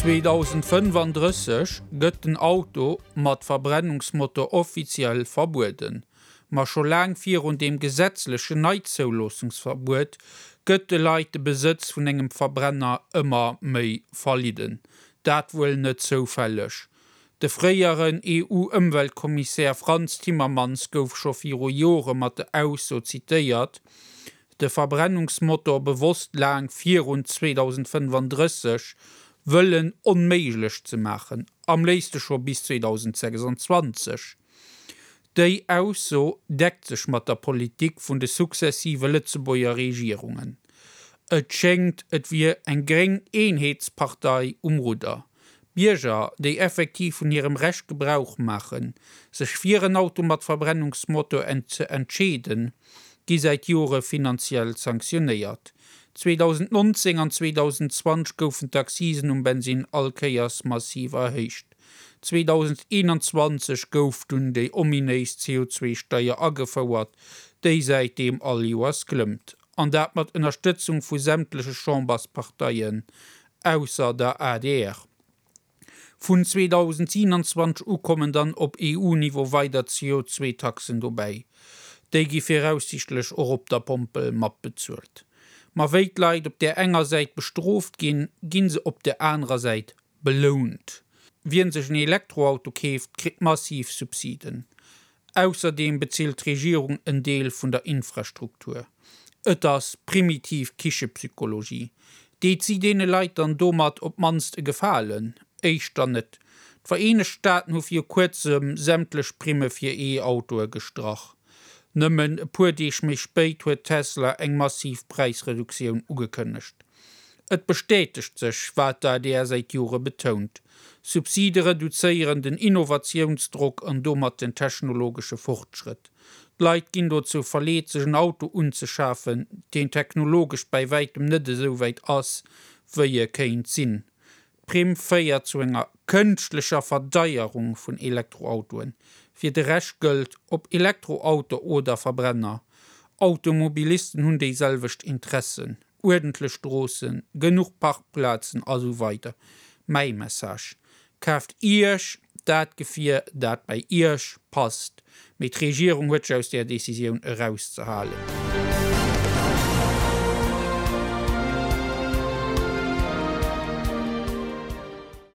2035 gëtt den Auto mat Verbrennungsmotor offiziell verbueden. Ma scho laang virun deem gesetzlechen Neizouloossungsverbuet gëtt de Leit de Besëtz vun engem Verbrenner ëmmer méi verlidden. Dat wuel net zoufälleg. De fréieren EU-Ëmweltkommissär Frans Timmermans gouf scho viru Jore mat der Ausso zitéiert, de Verbrennungsmotor bewosst laang virun 2035 wëllen onméiglech ze maachen, am léifste scho bis 2026. Déi Ausso deckt sech mat der Politik vun de successive Lëtzebuerger Regierungen. Et schéngt, et wier eng gréng Eenheetspartei um Rudder. Bierger, déi effektiv vun hirem Recht Gebrauch maachen, sech fir en Auto mat Verbrennungsmotor ze entscheeden, gi säit Jore finanziell sanktionéiert. 2019 an 2020 goufen d'Accisen um Bensinn all Kéiers massiv erhéicht. 2021 gouf dunn déi ominéis CO2-Steier agefouert, déi säitdeem all Joers klëmmt. An dat mat Ënnerstëtzung vu sämtleche Chambersparteien, ausser der adr. Vun 2027 u kommen dann op EU-Niveau weider CO2-Taxen dobäi. Déi gi viraussiichtlech och op der Pompel matbezuelt. Ma wéi d'Leit op där enger Säit bestrooft ginn, gi se op där anerer Säit belount. Wien sech en Elektroauto keeft, kritt massiv Subsiden. Ausserdeem bezilt d'Regierung en Deel vun der Infrastruktur. Et ass primitiv Kichepsychologie. Deet si deene Leit dann domat op d'mannst e Gefalen? Éischter net. D'Vereenegt Staaten hu viru kuerzem sämtlech Primme fir E-Autoe gestrach. Nëmmen e puer Deeg méi spéit huet Tesla eng massiv Präisreduktioun ugekënnegt. Et bestätegt sech, wat d'ADR säit Jore betount, Subside reduzéieren den Innovatiounsdrock an domat den technologesche Fortschrëtt. D'Leit ginn dozou verleet, sech en Auto unzeschafen, deen technologesch bäi wäitem net esou wäit ass, wéi e kéint sinn. D'Primm féiert zu enger kënschtlecher Verdeierung vun Elektroautoen. Fir de Rescht gëllt, ob Elektroauto oder Verbrenner, Automobilisten hunn déi selwecht Interessen. uerdentlech Stroossen, genuch Parkplazen a sou weider Mäi Message, Kaaft Iech dat Gefier, dat bäi Iech passt. Mee d'Regierung huet sech aus där Decisioun erauszehalen.